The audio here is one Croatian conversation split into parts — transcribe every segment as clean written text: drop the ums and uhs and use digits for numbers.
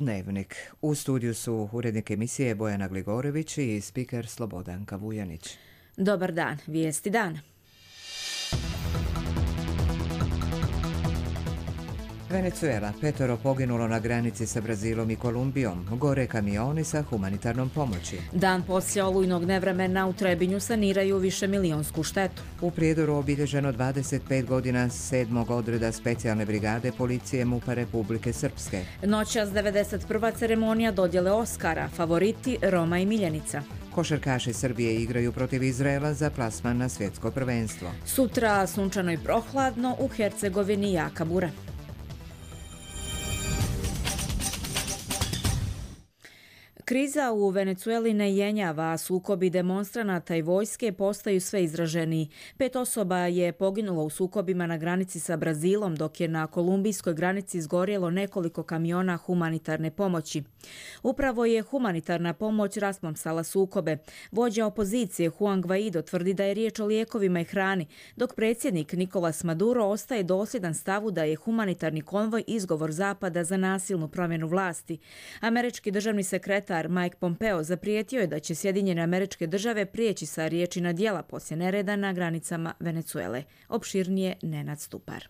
Dnevnik. U studiju su urednik emisije Bojana Gligorević i spiker Slobodanka Vujanić. Dobar dan, vijesti dana. Venezuela, 5 poginulo na granici sa Brazilom i Kolumbijom, gore kamioni sa humanitarnom pomoći. Dan poslije olujnog nevremena u Trebinju saniraju višemilijonsku štetu. U Prijedoru obilježeno 25 godina 7. odreda specijalne brigade policije MUP-a Republike Srpske. Noćas 91. ceremonija dodjele Oskara, favoriti Roma i Miljenica. Košarkaši Srbije igraju protiv Izraela za plasman na svjetsko prvenstvo. Sutra sunčano i prohladno, u Hercegovini jaka bura. Kriza u Venezueli ne jenjava, a sukobi demonstranata i vojske postaju sve izraženiji. 5 osoba je poginulo u sukobima na granici sa Brazilom, dok je na kolumbijskoj granici izgorjelo nekoliko kamiona humanitarne pomoći. Upravo je humanitarna pomoć rasplamsala sukobe. Vođa opozicije Juan Guaido tvrdi da je riječ o lijekovima i hrani, dok predsjednik Nicolás Maduro ostaje dosljedan stavu da je humanitarni konvoj izgovor Zapada za nasilnu promjenu vlasti. Američki državni sekretar Mike Pompeo zaprijetio je da će Sjedinjene Američke Države prijeći sa riječi na djela poslije nereda na granicama Venezuele. Opširnije Nenad Stupar.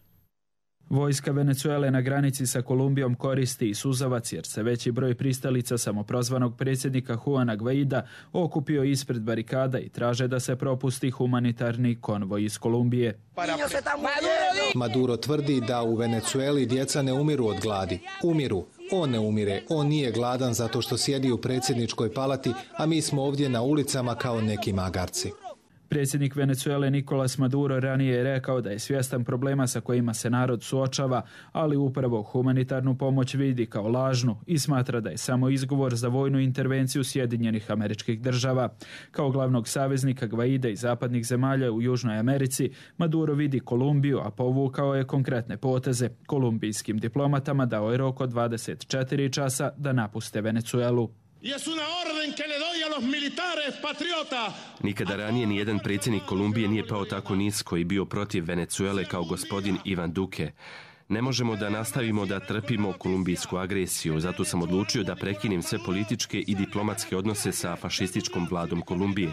Vojska Venezuele na granici sa Kolumbijom koristi i suzavac jer se veći broj pristalica samoprozvanog predsjednika Juana Guaida okupio ispred barikada i traže da se propusti humanitarni konvoj iz Kolumbije. Maduro tvrdi da u Venezueli djeca ne umiru od gladi. Umiru. On ne umire. On nije gladan zato što sjedi u predsjedničkoj palati, a mi smo ovdje na ulicama kao neki magarci. Predsjednik Venezuele Nicolás Maduro ranije je rekao da je svjestan problema sa kojima se narod suočava, ali upravo humanitarnu pomoć vidi kao lažnu i smatra da je samo izgovor za vojnu intervenciju Sjedinjenih Američkih Država. Kao glavnog saveznika Guaida i zapadnih zemalja u Južnoj Americi, Maduro vidi Kolumbiju, a povukao je konkretne poteze. Kolumbijskim diplomatama dao je rok od 24 časa da napuste Venezuelu. Nikada ranije nijedan predsjednik Kolumbije nije pao tako nisko i bio protiv Venezuele kao gospodin Ivan Duque. Ne možemo da nastavimo da trpimo kolumbijsku agresiju, zato sam odlučio da prekinem sve političke i diplomatske odnose sa fašističkom vladom Kolumbije.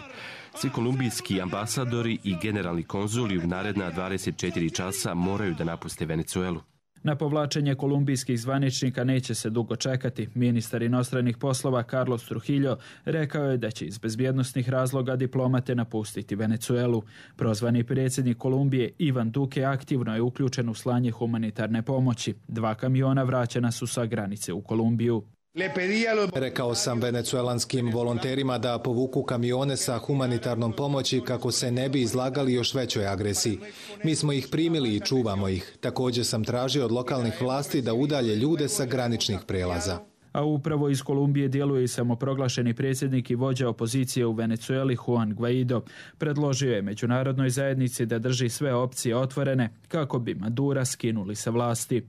Svi kolumbijski ambasadori i generalni konzuli u naredna 24 časa moraju da napuste Venezuelu. Na povlačenje kolumbijskih zvaničnika neće se dugo čekati. Ministar inostranih poslova Carlos Trujillo rekao je da će iz bezbjednosnih razloga diplomate napustiti Venezuelu. Prozvani predsjednik Kolumbije Ivan Duque aktivno je uključen u slanje humanitarne pomoći. 2 kamiona vraćena su sa granice u Kolumbiju. Rekao sam venecuelanskim volonterima da povuku kamione sa humanitarnom pomoći kako se ne bi izlagali još većoj agresiji. Mi smo ih primili i čuvamo ih. Također sam tražio od lokalnih vlasti da udalje ljude sa graničnih prelaza. A upravo iz Kolumbije djeluje i samoproglašeni predsjednik i vođa opozicije u Venezueli Juan Guaido. Predložio je međunarodnoj zajednici da drži sve opcije otvorene kako bi Madura skinuli sa vlasti.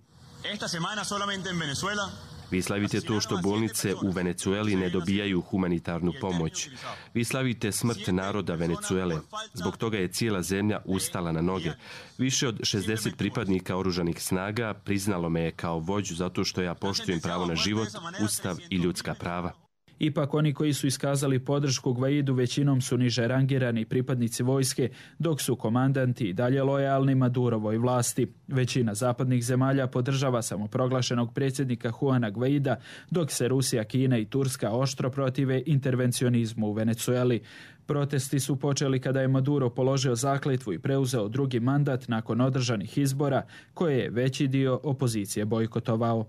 Esta semana solamente en Venezuela. Vi slavite to što bolnice u Venezueli ne dobijaju humanitarnu pomoć. Vi slavite smrt naroda Venezuele. Zbog toga je cijela zemlja ustala na noge. Više od 60 pripadnika oružanih snaga priznalo me je kao vođu zato što ja poštujem pravo na život, ustav i ljudska prava. Ipak oni koji su iskazali podršku Guaidu većinom su niže rangirani pripadnici vojske, dok su komandanti i dalje lojalni Madurovoj vlasti. Većina zapadnih zemalja podržava samoproglašenog predsjednika Juana Guaida, dok se Rusija, Kina i Turska oštro protive intervencionizmu u Venezueli. Protesti su počeli kada je Maduro položio zakletvu i preuzeo drugi mandat nakon održanih izbora, koje je veći dio opozicije bojkotovao.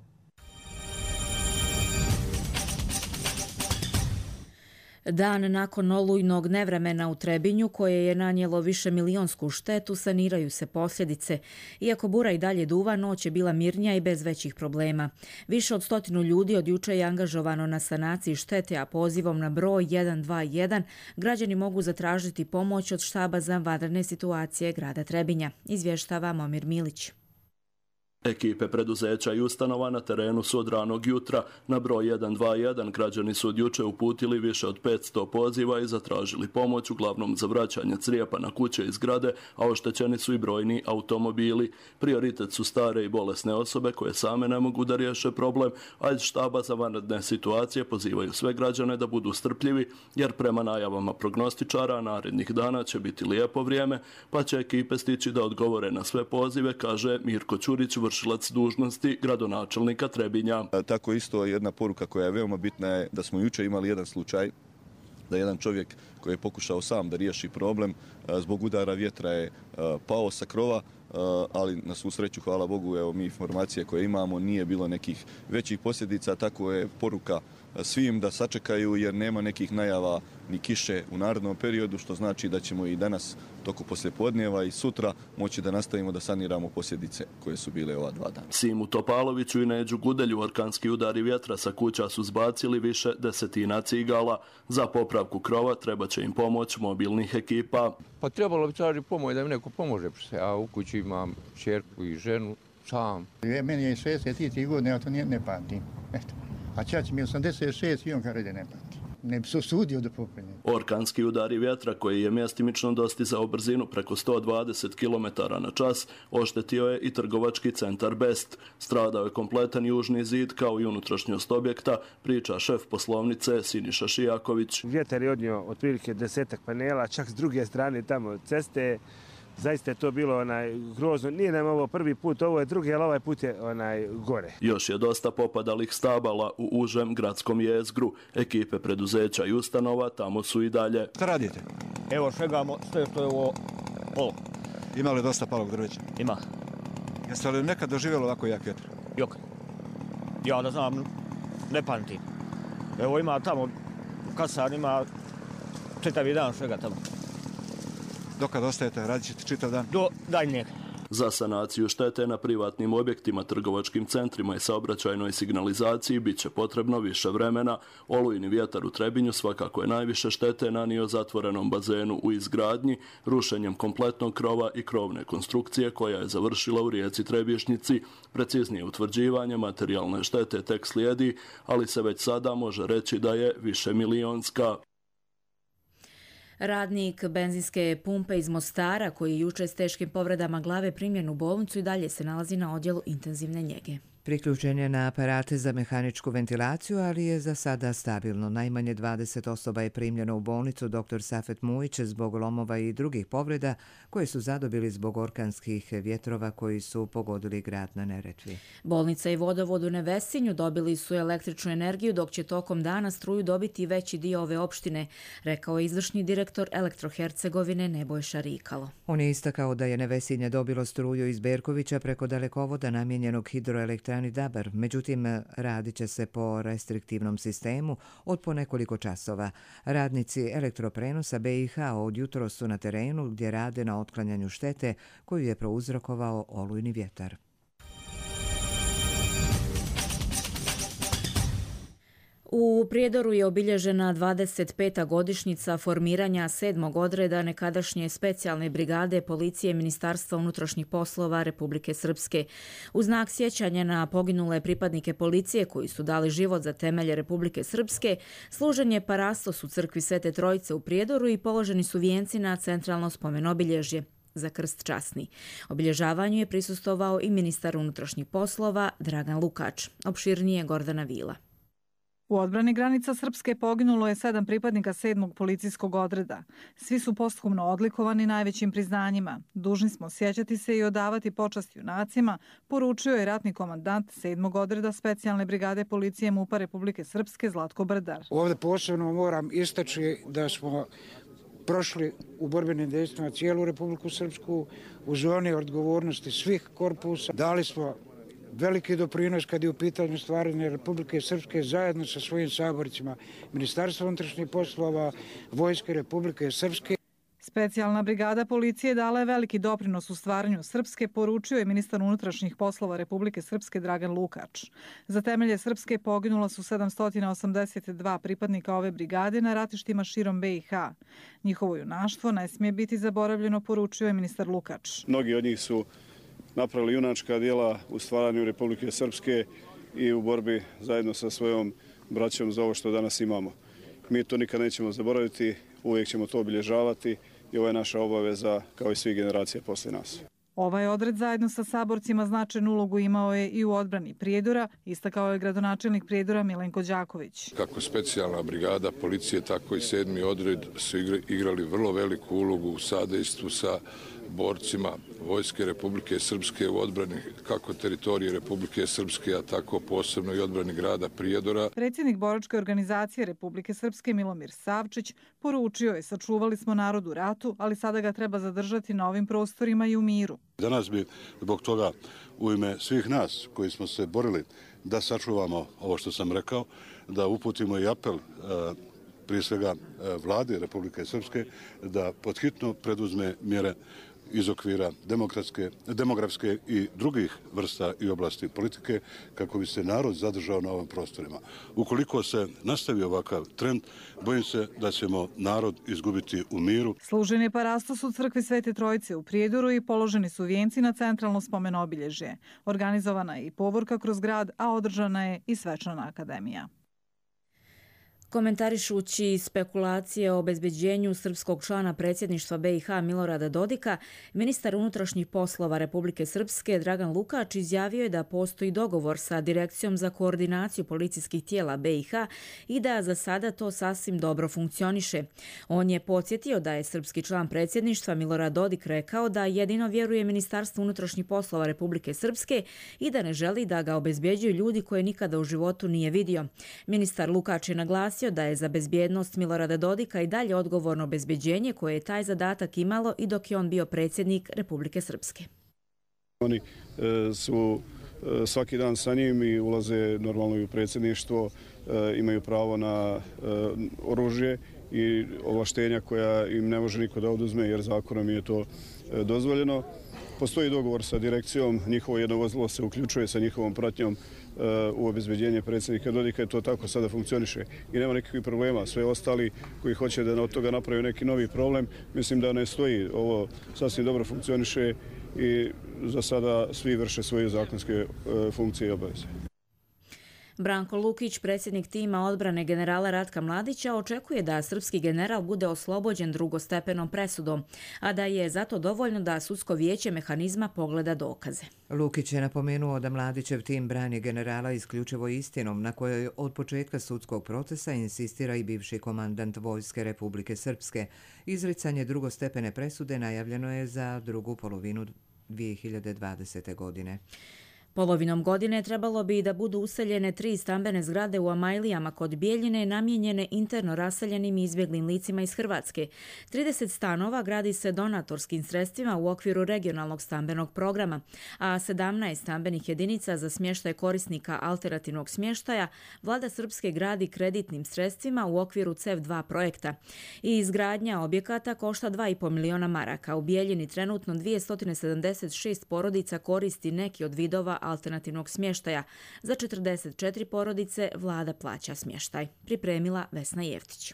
Dan nakon olujnog nevremena u Trebinju, koje je nanijelo višemilijonsku štetu, saniraju se posljedice. Iako bura i dalje duva, noć je bila mirnija i bez većih problema. Više od 100 ljudi od juče je angažovano na sanaciji štete, a pozivom na broj 121 građani mogu zatražiti pomoć od štaba za vanredne situacije grada Trebinja, izvještava Momir Milić. Ekipe preduzeća i ustanova na terenu su od ranog jutra. Na broj 121 građani su od juče uputili više od 500 poziva i zatražili pomoć, uglavnom za vraćanje crijepa na kuće i zgrade, a oštećeni su i brojni automobili. Prioritet su stare i bolesne osobe koje same ne mogu da riješe problem, a iz štaba za vanredne situacije pozivaju sve građane da budu strpljivi, jer prema najavama prognostičara narednih dana će biti lijepo vrijeme, pa će ekipe stići da odgovore na sve pozive, kaže Mirko Ćurić, vršilac dužnosti gradonačelnika Trebinja. Tako isto jedna poruka koja je veoma bitna je da smo jučer imali jedan slučaj da jedan čovjek koji je pokušao sam da riješi problem zbog udara vjetra je pao sa krova, ali na svu sreću, hvala Bogu, evo mi informacije koje imamo, nije bilo nekih većih posljedica, tako je poruka svim da sačekaju jer nema nekih najava ni kiše u narednom periodu, što znači da ćemo i danas toku poslijepodneva i sutra moći da nastavimo da saniramo posljedice koje su bile ova 2 dana. Simu Topaloviću i Neđu Gudelju orkanski udari vjetra sa kuća su zbacili više desetina cigala. Za popravku krova treba će im pomoć mobilnih ekipa. Pa trebalo bi tražiti pomoć da mi neko pomože, a u kući imam čerku i ženu sam. Meni je 63 godine, ja to ne pamtim. A čač mi je 86 i on kada ne pamti. Ne bi se usudio da popne. Orkanski udari vjetra koji je mjestimično dostizao brzinu preko 120 km/h oštetio je i trgovački centar Best. Stradao je kompletan južni zid kao i unutrašnjost objekta, priča šef poslovnice Siniša Šijaković. Vjetar je odnio otprilike 10 panela, čak s druge strane tamo ceste. Zaista je to bilo grozno. Nije nam ovo prvi put, ovo je drugi, ali ovaj put je gore. Još je dosta popadalih stabala u užem gradskom jezgru. Ekipe preduzeća i ustanova tamo su i dalje. Šta radite? Evo šegamo sve što je ovo polo. Ima li dosta palog drveća? Ima. Jeste li nekad doživjeli ovako jak vjetar? Jok. Ja da znam, ne pamtim. Evo ima tamo, kasar ima čitavi dan šega tamo. Dokad ostajete, radit ćete čitav dan? Do daljnjeg. Za sanaciju štete na privatnim objektima, trgovačkim centrima i saobraćajnoj signalizaciji bit će potrebno više vremena. Olujni vjetar u Trebinju svakako je najviše štete nanio zatvorenom bazenu u izgradnji, rušenjem kompletnog krova i krovne konstrukcije koja je završila u rijeci Trebišnjici. Preciznije utvrđivanje materijalne štete tek slijedi, ali se već sada može reći da je višemilionska. Radnik benzinske pumpe iz Mostara, koji je jučer s teškim povredama glave primljen u bolnicu, i dalje se nalazi na odjelu intenzivne njege. Priključen je na aparate za mehaničku ventilaciju, ali je za sada stabilno. Najmanje 20 osoba je primljeno u bolnicu dr. Safet Mujić zbog lomova i drugih povreda koje su zadobili zbog orkanskih vjetrova koji su pogodili grad na Neretvi. Bolnica i vodovod u Nevesinju dobili su električnu energiju, dok će tokom dana struju dobiti veći dio ove opštine, rekao je izvršni direktor Elektrohercegovine Nebojša Rikalo. On je istakao da je Nevesinje dobilo struju iz Berkovića preko dalekovoda namijenjenog hidroelektrani Dabar, međutim radit će se po restriktivnom sistemu od po nekoliko časova. Radnici elektroprenosa BiH od jutros su na terenu gdje rade na otklanjanju štete koju je prouzrokovao olujni vjetar. U Prijedoru je obilježena 25. godišnjica formiranja 7. odreda nekadašnje specijalne brigade policije Ministarstva unutrašnjih poslova Republike Srpske. U znak sjećanja na poginule pripadnike policije koji su dali život za temelje Republike Srpske, služen je parastos u crkvi Svete Trojice u Prijedoru i položeni su vijenci na centralno spomen-obilježje za krst časni. Obilježavanju je prisustvovao i ministar unutrašnjih poslova Dragan Lukač. Opširnije Gordana Vila. U odbrani granica Srpske poginulo je 7 pripadnika 7. policijskog odreda. Svi su posthumno odlikovani najvećim priznanjima. Dužni smo sjećati se i odavati počast junacima, poručio je ratni komandant 7. odreda specijalne brigade policije MUP-a Republike Srpske Zlatko Brdar. Ovdje posebno moram istaći da smo prošli u borbenim dejstvima cijelu Republiku Srpsku u zoni odgovornosti svih korpusa. Dali smo veliki doprinos kad je u pitanju stvaranja Republike Srpske zajedno sa svojim saborcima Ministarstva unutrašnjih poslova, Vojske Republike Srpske. Specijalna brigada policije dala je veliki doprinos u stvaranju Srpske, poručio je ministar unutrašnjih poslova Republike Srpske Dragan Lukač. Za temelje Srpske poginula su 782 pripadnika ove brigade na ratištima širom BiH. Njihovo junaštvo ne smije biti zaboravljeno, poručio je ministar Lukač. Mnogi od njih su napravili junačka djela u stvaranju Republike Srpske i u borbi zajedno sa svojom braćom za ovo što danas imamo. Mi to nikad nećemo zaboraviti, uvijek ćemo to obilježavati i ovo je naša obaveza kao i svih generacija poslije nas. Ovaj odred zajedno sa saborcima značajnu ulogu imao je i u odbrani Prijedora, istakao je gradonačelnik Prijedora Milenko Đaković. Kako specijalna brigada policije, tako i 7. odred su igrali vrlo veliku ulogu u sadejstvu sa borcima Vojske Republike Srpske u odbrani kako teritorije Republike Srpske, a tako posebno i odbrani grada Prijedora. Predsjednik boračke organizacije Republike Srpske Milomir Savčić poručio je: sačuvali smo narod u ratu, ali sada ga treba zadržati na ovim prostorima i u miru. Danas bi zbog toga u ime svih nas koji smo se borili da sačuvamo ovo što sam rekao, da uputimo i apel prije svega vlade Republike Srpske da podhitno preduzme mjere iz okvira demografske i drugih vrsta i oblasti politike kako bi se narod zadržao na ovim prostorima. Ukoliko se nastavi ovakav trend, bojim se da ćemo narod izgubiti u miru. Služen je parastos u crkvi Svete Trojice u Prijedoru i položeni su vijenci na centralno spomen obilježje. Organizovana je i povorka kroz grad, a održana je i svečana akademija. Komentarišući spekulacije o obezbeđenju srpskog člana predsjedništva BiH Milorada Dodika, ministar unutrašnjih poslova Republike Srpske Dragan Lukač izjavio je da postoji dogovor sa Direkcijom za koordinaciju policijskih tijela BiH i da za sada to sasvim dobro funkcioniše. On je podsjetio da je srpski član predsjedništva Milorad Dodik rekao da jedino vjeruje Ministarstvu unutrašnjih poslova Republike Srpske i da ne želi da ga obezbeđuju ljudi koje nikada u životu nije vidio. Ministar Lukač je naglasio da je za bezbjednost Milorada Dodika i dalje odgovorno obezbeđenje koje je taj zadatak imalo i dok je on bio predsjednik Republike Srpske. Oni su svaki dan sa njim i ulaze normalno i u predsjedništvo, imaju pravo na oružje i ovlaštenja koja im ne može niko da oduzme jer zakonom je to dozvoljeno. Postoji dogovor sa direkcijom, njihovo jedno vozilo se uključuje sa njihovom pratnjom u obezbeđenje predsjednika Dodika i to tako sada funkcioniše i nema nikakvih problema. Sve ostali koji hoće da od toga napravi neki novi problem, mislim da ne stoji. Ovo sasvim dobro funkcioniše i za sada svi vrše svoje zakonske funkcije i obaveze. Branko Lukić, predsjednik tima odbrane generala Ratka Mladića, očekuje da srpski general bude oslobođen drugostepenom presudom, a da je zato dovoljno da sudsko vijeće mehanizma pogleda dokaze. Lukić je napomenuo da Mladićev tim brani generala isključivo istinom na kojoj od početka sudskog procesa insistira i bivši komandant Vojske Republike Srpske. Izricanje drugostepene presude najavljeno je za drugu polovinu 2020. godine. Polovinom godine trebalo bi da budu useljene 3 stambene zgrade u Amajlijama kod Bijeljine namijenjene interno raseljenim i izbjeglim licima iz Hrvatske. 30 stanova gradi se donatorskim sredstvima u okviru regionalnog stambenog programa, a 17 stambenih jedinica za smještaj korisnika alternativnog smještaja vlada Srpske gradi kreditnim sredstvima u okviru CEV2 projekta. I izgradnja objekata košta 2,5 miliona maraka. U Bijeljini trenutno 276 porodica koristi neki od vidova alternativnog smještaja. Za 44 porodice vlada plaća smještaj. Pripremila Vesna Jeftić.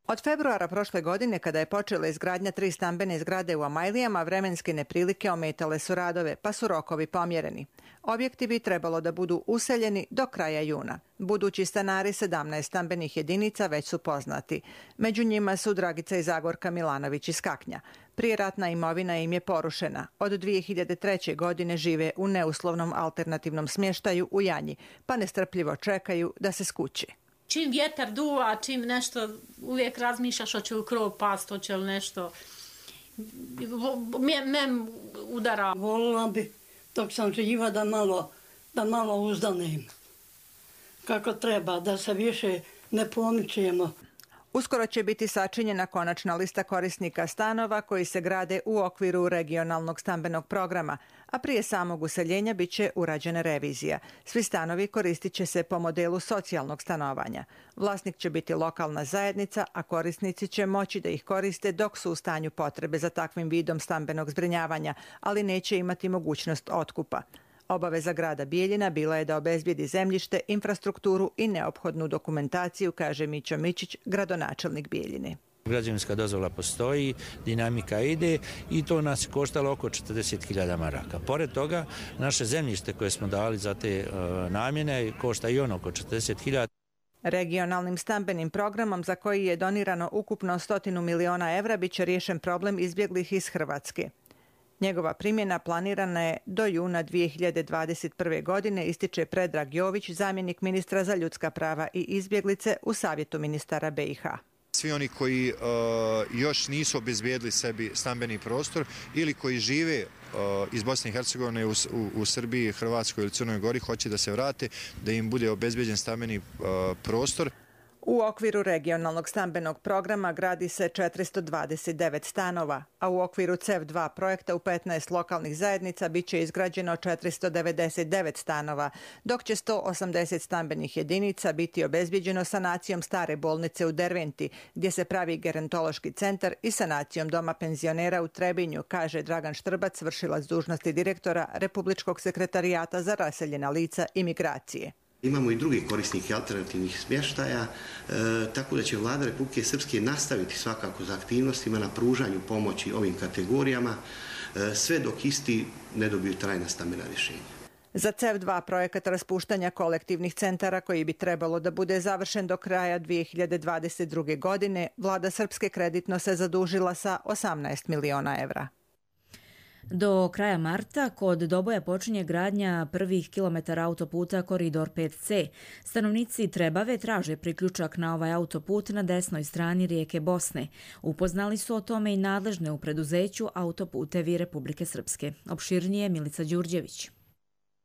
Od februara prošle godine, kada je počela izgradnja 3 stambene zgrade u Amajlijama, vremenske neprilike ometale su radove, pa su rokovi pomjereni. Objekti bi trebalo da budu useljeni do kraja juna. Budući stanari 17 stambenih jedinica već su poznati. Među njima su Dragica i Zagorka Milanović iz Kaknja. Prijeratna imovina im je porušena. Od 2003. godine žive u neuslovnom alternativnom smještaju u Janji, pa nestrpljivo čekaju da se skući. Čim vjetar duva, čim nešto, uvijek razmišljaš hoće li krov past, hoće li nešto. Mem udara. Volila bi, dok sam živa, da malo uzdanem. Kako treba, da se više ne pomičemo. Uskoro će biti sačinjena konačna lista korisnika stanova koji se grade u okviru regionalnog stambenog programa, a prije samog useljenja bit će urađena revizija. Svi stanovi koristit će se po modelu socijalnog stanovanja. Vlasnik će biti lokalna zajednica, a korisnici će moći da ih koriste dok su u stanju potrebe za takvim vidom stambenog zbrinjavanja, ali neće imati mogućnost otkupa. Obaveza grada Bijeljina bila je da obezbijedi zemljište, infrastrukturu i neophodnu dokumentaciju, kaže Mićo Mićić, gradonačelnik Bijeljine. Građevinska dozvola postoji, dinamika ide i to nas je koštalo oko 40.000 maraka. Pored toga, naše zemljište koje smo dali za te namjene košta i ono oko 40.000. Regionalnim stambenim programom za koji je donirano ukupno 100 miliona evra bit će riješen problem izbjeglih iz Hrvatske. Njegova primjena planirana je do juna 2021. godine, ističe Predrag Jović, zamjenik ministra za ljudska prava i izbjeglice u Savjetu ministara BiH. Svi oni koji još nisu obezbijedili sebi stambeni prostor ili koji žive iz Bosne i Hercegovine u Srbiji, Hrvatskoj ili Crnoj Gori, hoće da se vrate, da im bude obezbijeđen stambeni prostor. U okviru regionalnog stambenog programa gradi se 429 stanova, a u okviru CEF2 projekta u 15 lokalnih zajednica bit će izgrađeno 499 stanova, dok će 180 stambenih jedinica biti obezbijeđeno sanacijom stare bolnice u Derventi, gdje se pravi gerontološki centar, i sanacijom doma penzionera u Trebinju, kaže Dragan Štrbac, vršilac dužnosti direktora Republičkog sekretarijata za raseljena lica i migracije. Imamo i druge korisnike alternativnih smještaja, tako da će Vlada Republike Srpske nastaviti svakako za aktivnostima na pružanju pomoći ovim kategorijama, sve dok isti ne dobiju trajna stambena rješenja. Za CEF2 projekat raspuštanja kolektivnih centara, koji bi trebalo da bude završen do kraja 2022. godine, Vlada Srpske kreditno se zadužila sa 18 miliona evra. Do kraja marta kod Doboja počinje gradnja prvih kilometara autoputa Koridor 5C. Stanovnici Trebave traže priključak na ovaj autoput na desnoj strani rijeke Bosne. Upoznali su o tome i nadležne u preduzeću Autoputevi Republike Srpske. Opširnije Milica Đurđević.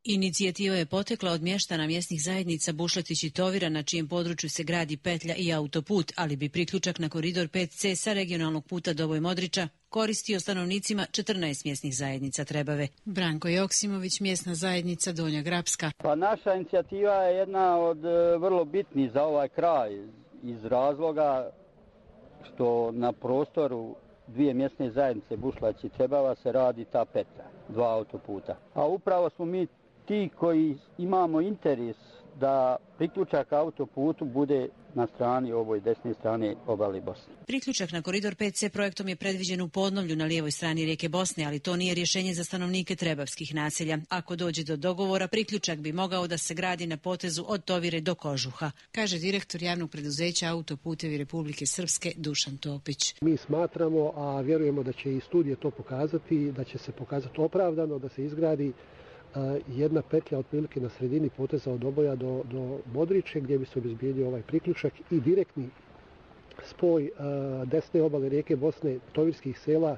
Inicijativa je potekla od mještana mjesnih zajednica Bušletić i Tovira, na čijem području se gradi petlja i autoput, ali bi priključak na Koridor 5C sa regionalnog puta Doboj Modriča koristio stanovnicima 14 mjesnih zajednica Trebave. Branko Joksimović, mjesna zajednica Donja Grapska. Pa naša inicijativa je jedna od vrlo bitnih za ovaj kraj iz razloga što na prostoru dvije mjesne zajednice Bušlać i Trebava se radi ta petlja, dva autoputa. A upravo smo mi ti koji imamo interes da priključak autoputu bude na strani ovoj desne strane obale Bosne. Priključak na Koridor 5C projektom je predviđen u Podnovlju na lijevoj strani rijeke Bosne, ali to nije rješenje za stanovnike trebavskih naselja. Ako dođe do dogovora, priključak bi mogao da se gradi na potezu od Tovire do Kožuha, kaže direktor javnog preduzeća Autoputevi Republike Srpske Dušan Topić. Mi smatramo, a vjerujemo da će i studije to pokazati, da će se pokazati opravdano da se izgradi jedna petlja otprilike na sredini poteza od Doboja do Modriče, gdje bi se obezbijedio ovaj priključak i direktni spoj desne obale rijeke Bosne, tovirskih sela,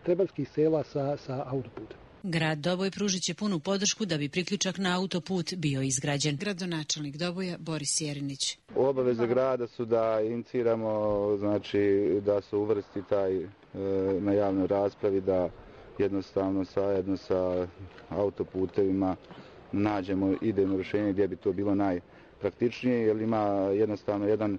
trebavskih sela sa autoputem. Grad Doboj pružit će punu podršku da bi priključak na autoput bio izgrađen. Gradonačelnik Doboja Boris Jerinić. Obaveze grada su da iniciramo, znači da se uvrsti taj na javnoj raspravi, da jednostavno zajedno sa autoputevima nađemo idejno rješenje gdje bi to bilo najpraktičnije, jer ima jednostavno jedan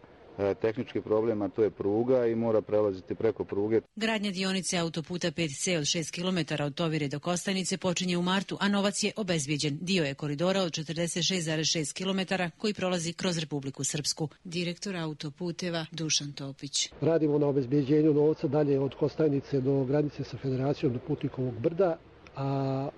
tehnički problem, a to je pruga i mora prelaziti preko pruge. Gradnja dionice autoputa 5C od 6 km od Tovire do Kostajnice počinje u martu, a novac je obezbijeđen. Dio je koridora od 46,6 km koji prolazi kroz Republiku Srpsku. Direktor Autoputeva Dušan Topić. Radimo na obezbijeđenju novca dalje od Kostajnice do granice sa Federacijom do Putnikovog brda, a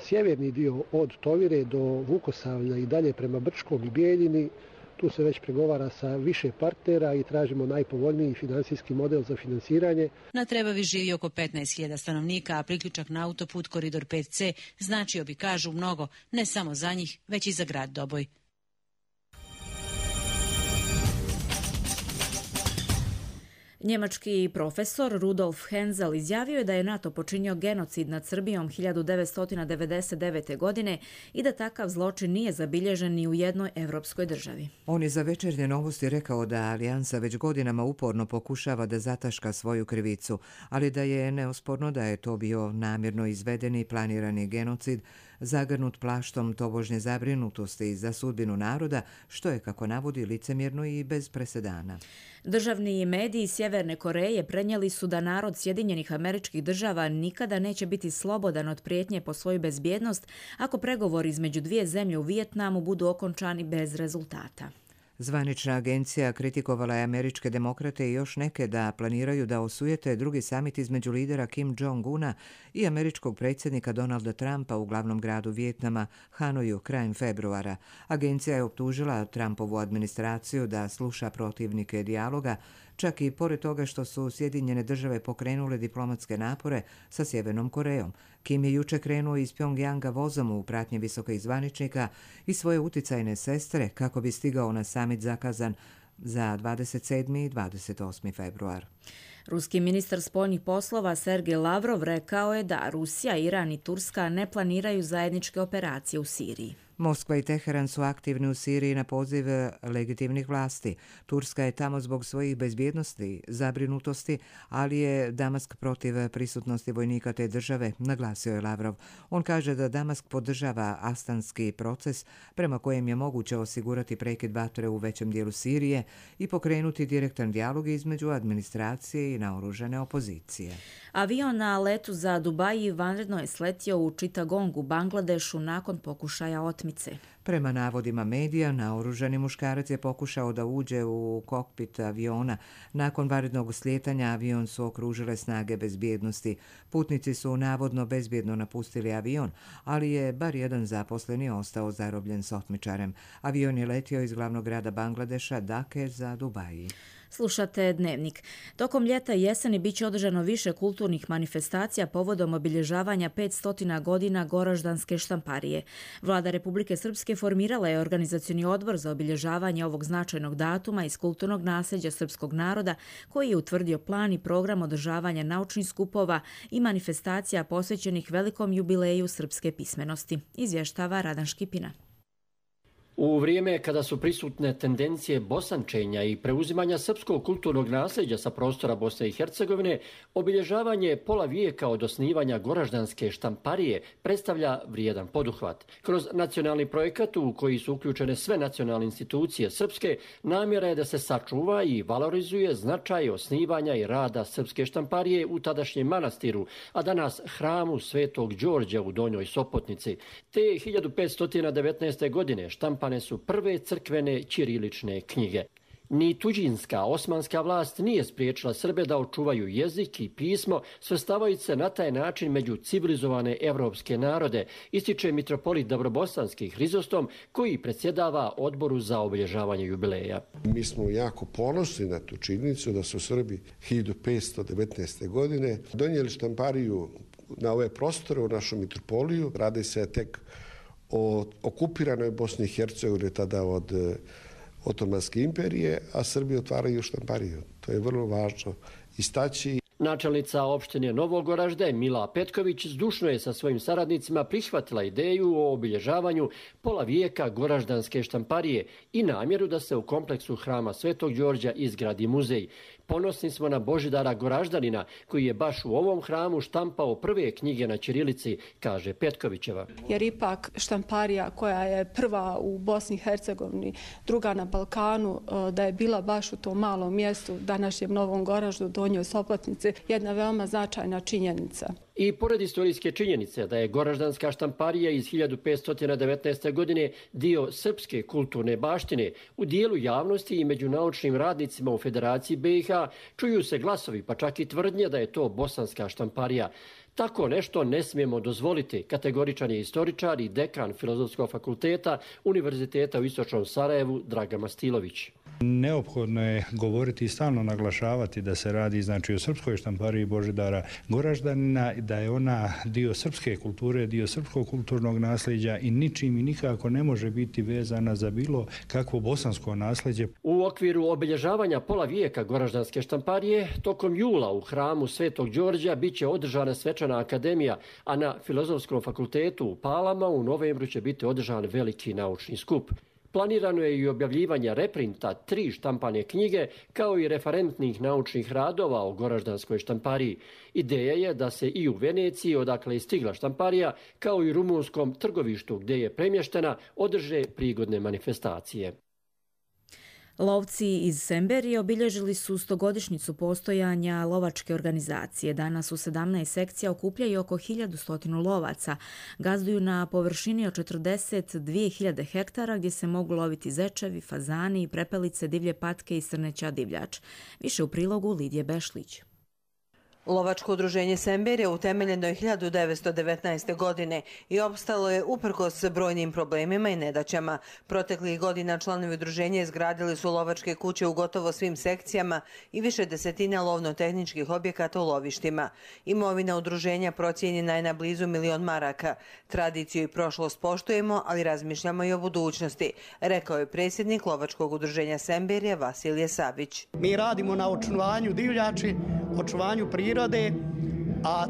sjeverni dio od Tovire do Vukosavlja i dalje prema Brčkom i Bijeljini, tu se već pregovara sa više partnera i tražimo najpovoljniji finansijski model za finansiranje. Na Trebavi živi oko 15.000 stanovnika, a priključak na autoput Koridor 5C značio bi, kažu, mnogo, ne samo za njih, već i za grad Doboj. Njemački profesor Rudolf Hensel izjavio je da je NATO počinio genocid nad Srbijom 1999. godine i da takav zločin nije zabilježen ni u jednoj evropskoj državi. On je za Večernje novosti rekao da Alijansa već godinama uporno pokušava da zataška svoju krivicu, ali da je neosporno da je to bio namjerno izvedeni i planirani genocid, zagrnut plaštom tobožnje zabrinutosti za sudbinu naroda, što je, kako navodi, licemjerno i bez presedana. Državni mediji Sjeverne Koreje prenijeli su da narod Sjedinjenih Američkih Država nikada neće biti slobodan od prijetnje po svoju bezbjednost ako pregovori između dvije zemlje u Vijetnamu budu okončani bez rezultata. Zvanična agencija kritikovala je američke demokrate i još neke da planiraju da osujete drugi samit između lidera Kim Jong-una i američkog predsjednika Donalda Trumpa u glavnom gradu Vijetnama, Hanoju, krajem februara. Agencija je optužila Trumpovu administraciju da sluša protivnike dijaloga, čak i pored toga što su Sjedinjene države pokrenule diplomatske napore sa Sjevernom Korejom. Kim je juče krenuo iz Pjongjanga vozom u pratnji visokih zvaničnika i svoje uticajne sestre kako bi stigao na samit zakazan za 27. i 28. februar. Ruski ministar spoljnih poslova Sergej Lavrov rekao je da Rusija, Iran i Turska ne planiraju zajedničke operacije u Siriji. Moskva i Teheran su aktivni u Siriji na poziv legitimnih vlasti. Turska je tamo zbog svojih bezbjednosti, zabrinutosti, ali je Damask protiv prisutnosti vojnika te države, naglasio je Lavrov. On kaže da Damask podržava astanski proces prema kojem je moguće osigurati prekid vatre u većem dijelu Sirije i pokrenuti direktan dijalog između administracije i naoružane opozicije. Avion na letu za Dubai vanredno je sletio u Chittagongu, Bangladešu, nakon pokušaja otmice. Prema navodima medija, naoružani muškarac je pokušao da uđe u kokpit aviona. Nakon vanrednog slijetanja avion su okružile snage bezbjednosti. Putnici su navodno bezbjedno napustili avion, ali je bar jedan zaposleni ostao zarobljen s otmičarem. Avion je letio iz glavnog grada Bangladeša, Dake, za Dubai. Slušate Dnevnik. Tokom ljeta i jeseni bit će održano više kulturnih manifestacija povodom obilježavanja 500 godina Goraždanske štamparije. Vlada Republike Srpske formirala je organizacioni odbor za obilježavanje ovog značajnog datuma iz kulturnog nasljeđa srpskog naroda, koji je utvrdio plan i program održavanja naučnih skupova i manifestacija posvećenih velikom jubileju srpske pismenosti, izvještava Radan Škipina. U vrijeme kada su prisutne tendencije bosančenja i preuzimanja srpskog kulturnog nasljeđa sa prostora Bosne i Hercegovine, obilježavanje pola vijeka od osnivanja Goraždanske štamparije predstavlja vrijedan poduhvat. Kroz nacionalni projekat u koji su uključene sve nacionalne institucije srpske, namjera je da se sačuva i valorizuje značaj osnivanja i rada srpske štamparije u tadašnjem manastiru, a danas hramu Svetog Đorđa u Donjoj Sopotnici. Te 1519. godine štampane su prve crkvene ćirilične knjige. Ni tuđinska osmanska vlast nije spriječila Srbe da očuvaju jezik i pismo, svrstavajući se na taj način među civilizovane evropske narode, ističe mitropolit Dabrobosanski Hrizostom, koji predsjedava odboru za obilježavanje jubileja. Mi smo jako ponosni na tu činjenicu da su Srbi 1519. godine donijeli štampariju na ove prostore u našu mitropoliju. Radi se tek o okupiranoj Bosni i Hercegovini tada od Otomanske imperije, a Srbi otvaraju štampariju. To je vrlo važno istaći. Načelnica opštine Novogoražde Mila Petković zdušno je sa svojim saradnicima prihvatila ideju o obilježavanju pola vijeka Goraždanske štamparije i namjeru da se u kompleksu hrama Svetog Đorđa izgradi muzej. Ponosni smo na Božidara Goraždanina, koji je baš u ovom hramu štampao prve knjige na ćirilici, kaže Petkovićeva. Jer ipak štamparija koja je prva u Bosni i Hercegovini, druga na Balkanu, da je bila baš u tom malom mjestu, današnjem Novom Goraždu, Donjoj Sopotnici, jedna veoma značajna činjenica. I pored istorijske činjenice da je Goraždanska štamparija iz 1519. godine dio srpske kulturne baštine, u dijelu javnosti i među naučnim radnicima u Federaciji BiH čuju se glasovi, pa čak i tvrdnje da je to bosanska štamparija. Tako nešto ne smijemo dozvoliti, kategoričan je istoričar i dekan Filozofskog fakulteta Univerziteta u Istočnom Sarajevu Dragan Mastilović. Neophodno je govoriti i stalno naglašavati da se radi o srpskoj štampariji Božidara Goraždanina, da je ona dio srpske kulture, dio srpskog kulturnog nasljeđa i ničim i nikako ne može biti vezana za bilo kakvo bosansko nasljeđe. U okviru obilježavanja pola vijeka Goraždanske štamparije, tokom jula u hramu Svetog Đorđa biće održana svečana akademija, a na Filozofskom fakultetu u Palama u novembru će biti održan veliki naučni skup. Planirano je i objavljivanje reprinta 3 štampane knjige, kao i referentnih naučnih radova o Goraždanskoj štampariji. Ideja je da se i u Veneciji, odakle je stigla štamparija, kao i rumunskom Trgovištu, gdje je premještena, održe prigodne manifestacije. Lovci iz Semberije obilježili su 100-godišnjicu postojanja lovačke organizacije. Danas u 17 sekcija okupljaju oko 1100 lovaca. Gazduju na površini od 42.000 hektara gdje se mogu loviti zečevi, fazani, prepelice, divlje patke i srneća divljač. Više u prilogu Lidije Bešlić. Lovačko udruženje Semberije utemeljeno je 1919. godine i opstalo je uprkos brojnim problemima i nedaćama. Proteklih godina članovi udruženja izgradili su lovačke kuće u gotovo svim sekcijama i više desetina lovno-tehničkih objekata u lovištima. Imovina udruženja procijenjena je na blizu 1.000.000 maraka. Tradiciju i prošlost poštujemo, ali razmišljamo i o budućnosti, rekao je predsjednik Lovačkog udruženja Semberije Vasilije Savić. Mi radimo na očuvanju divljači, očuvanju prirode, a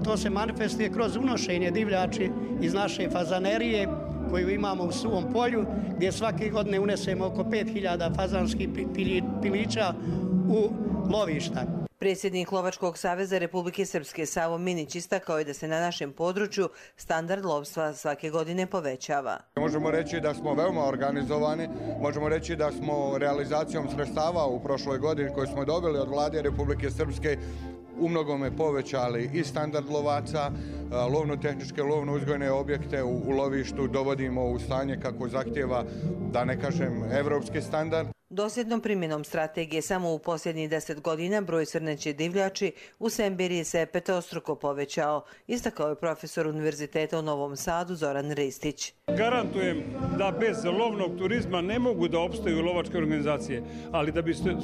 to se manifestuje kroz unošenje divljači iz naše fazanerije koju imamo u Suvom polju, gdje svake godine unesemo oko 5.000 fazanskih pilića u lovišta. Predsjednik Lovačkog saveza Republike Srpske Savo Minić istakao je da se na našem području standard lovstva svake godine povećava. Možemo reći da smo veoma organizovani, možemo reći da smo realizacijom sredstava u prošloj godini koju smo dobili od Vlade Republike Srpske u mnogome povećali i standard lovaca, lovno-tehničke, lovno-uzgojne objekte u lovištu dovodimo u stanje kako zahtjeva, da ne kažem, evropski standard. Dosljednom primjenom strategije samo u posljednjih 10 godina broj srneće divljači u Semberiji se petostruko povećao, istakao je profesor Univerziteta u Novom Sadu Zoran Ristić. Garantujem da bez lovnog turizma ne mogu da opstaju lovačke organizacije, ali da biste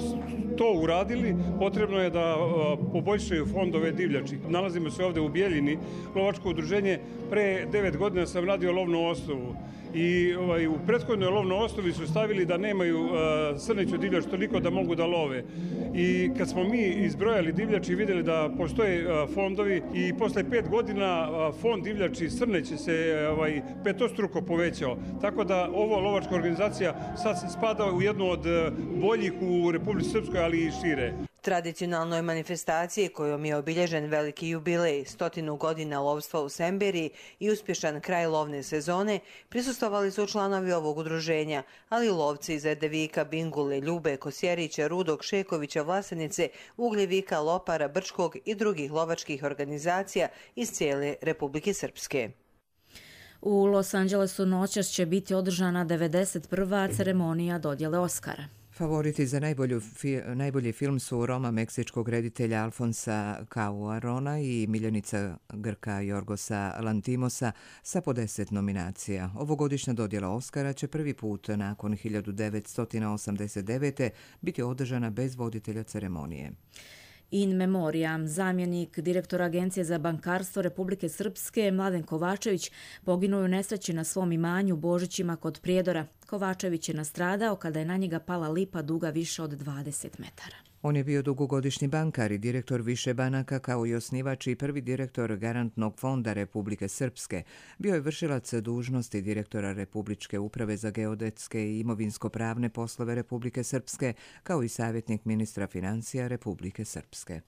to uradili potrebno je da poboljšaju fondove divljači. Nalazimo se ovdje u Bijeljini, lovačko udruženje. Pre 9 godina sam radio lovnu osnovu i u prethodnoj lovnoj osnovi su stavili da nemaju srneću divljač toliko da mogu da love. I kad smo mi izbrojali divljači i vidjeli da postoje fondovi i posle 5 godina fond divljači srneće se petostruko povećao. Tako da ovo lovačka organizacija sad spada u jednu od boljih u Republici Srpskoj, ali i šire. Tradicionalnoj manifestaciji kojom je obilježen veliki jubilej 100 godina lovstva u Semberiji i uspješan kraj lovne sezone, prisustvovali su članovi ovog udruženja, ali i lovci iz Erdevika, Bingule, Ljube, Kosjerića, Rudog, Šekovića, Vlasenice, Ugljevika, Lopara, Brčkog i drugih lovačkih organizacija iz cijele Republike Srpske. U Los Angelesu noćas će biti održana 91. ceremonija dodjele Oskara. Favoriti za najbolji film su Roma meksičkog reditelja Alfonsa Cuarona i miljenica Grka Jorgosa Lantimosa sa po 10 nominacija. Ovogodišnja dodjela Oskara će prvi put nakon 1989. biti održana bez voditelja ceremonije. In memoriam, zamjenik direktora Agencije za bankarstvo Republike Srpske Mladen Kovačević poginuo u nesreći na svom imanju Božićima kod Prijedora. Kovačević je nastradao kada je na njega pala lipa duga više od 20 metara. On je bio dugogodišnji bankar i direktor više banaka kao i osnivač i prvi direktor Garantnog fonda Republike Srpske. Bio je vršilac dužnosti direktora Republičke uprave za geodetske i imovinsko-pravne poslove Republike Srpske kao i savjetnik ministra financija Republike Srpske.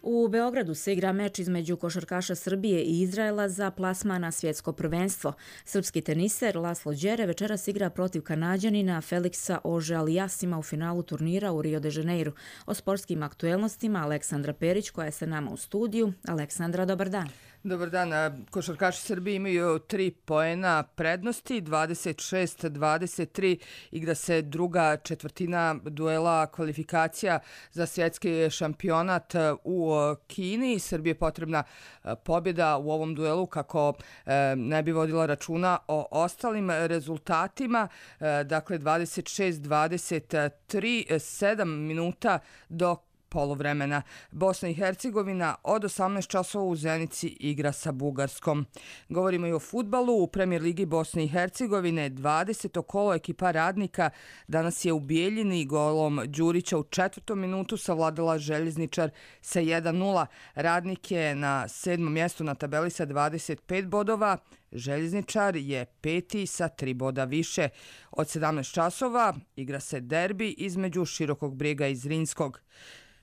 U Beogradu se igra meč između košarkaša Srbije i Izraela za plasman na svjetsko prvenstvo. Srpski teniser Laslo Đere večeras igra protiv Kanađanina Feliksa Ože-Alijasima u finalu turnira u Rio de Janeiru. O sportskim aktuelnostima Aleksandra Perić koja je sa nama u studiju. Aleksandra, dobar dan. Dobar dan. Košarkaši Srbije imaju 3 poena prednosti, 26-23. Igra se druga četvrtina duela kvalifikacija za svjetski šampionat u Kini. Srbiji je potrebna pobjeda u ovom duelu kako ne bi vodila računa o ostalim rezultatima. Dakle, 26-23, 7 minuta do poluvremena. Bosna i Hercegovina od 18 časova u Zenici igra sa Bugarskom. Govorimo i o fudbalu. U Premijer ligi Bosne i Hercegovine 20. kolo ekipa Radnika danas je u Bijeljini golom Đurića u 4. minutu savladala Željezničar sa 1-0. Radnik je na 7. mjestu na tabeli sa 25 bodova. Željezničar je 5. sa 3 boda više. Od 17 časova igra se derbi između Širokog Brijega i Zrinskog.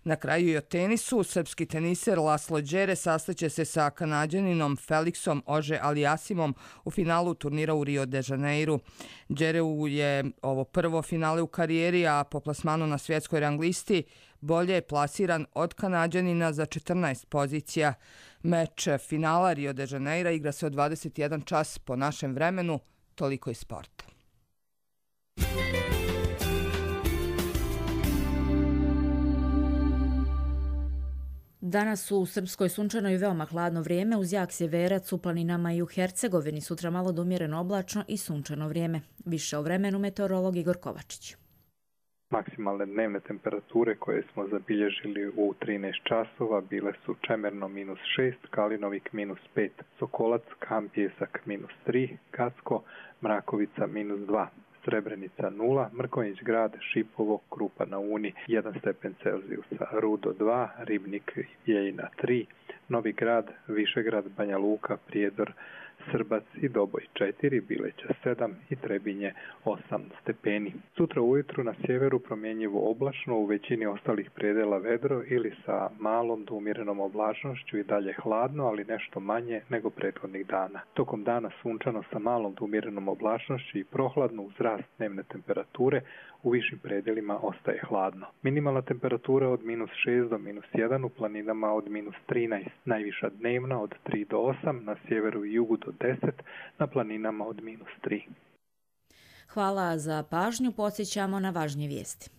Na kraju i o tenisu, srpski teniser Laslo Đere sastaće se sa Kanađaninom Felixom Auger-Aliassimom u finalu turnira u Rio de Janeiru. Đereu je ovo prvo finale u karijeri, a po plasmanu na svjetskoj rang listi bolje je plasiran od Kanađanina za 14 pozicija. Meč finala Rio de Janeira igra se od 21 čas po našem vremenu. Toliko iz sporta. Danas u Srpskoj sunčano i veoma hladno vrijeme, uz jak sjeverac u planinama i u Hercegovini. Sutra malo do umjereno oblačno i sunčano vrijeme. Više o vremenu meteorolog Igor Kovačić. Maksimalne dnevne temperature koje smo zabilježili u 13 časova bile su Čemerno -6, Kalinovik -5, Sokolac, Kampjesak -3, Gacko, Mrakovica -2. Srebrenica 0, Mrkonjić grad, Šipovo, Krupa na Uni 1 stepen Celzijusa, Rudo 2, Ribnik, Jejina 3, Novi grad, Višegrad, Banja Luka, Prijedor, Srbac i Doboj 4, Bileća 7 i Trebinje 8 stepeni. Sutra ujutru na sjeveru promjenjivo oblačno, u većini ostalih predela vedro ili sa malom do umjerenom oblačnošću i dalje hladno, ali nešto manje nego prethodnih dana. Tokom dana sunčano sa malom do umjerenom oblačnošću i prohladno uz rast dnevne temperature, u višim predelima ostaje hladno. Minimalna temperatura od -6 do -1, u planinama od -13, najviša dnevna od 3 do 8, na sjeveru i jugu do 10, na planinama od -3. Hvala za pažnju, podsjećamo na važnije vijesti.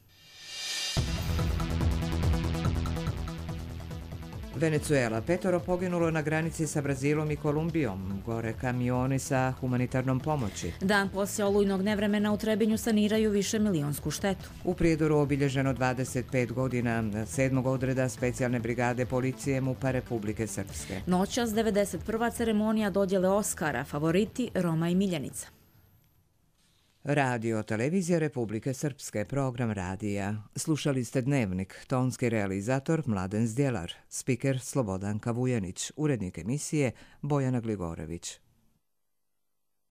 Venezuela, 5 poginulo na granici sa Brazilom i Kolumbijom, gore kamioni sa humanitarnom pomoći. Dan poslije olujnog nevremena u Trebinju saniraju višemilijonsku štetu. U Prijedoru obilježeno 25 godina 7. odreda specijalne brigade policije MUP-a Republike Srpske. Noćas 91. ceremonija dodjele Oskara, favoriti Roma i Miljenica. Radio Televizija Republike Srpske, program radija. Slušali ste Dnevnik, tonski realizator Mladen Zdjelar, spiker Slobodanka Vujanić, urednik emisije Bojana Gligorević.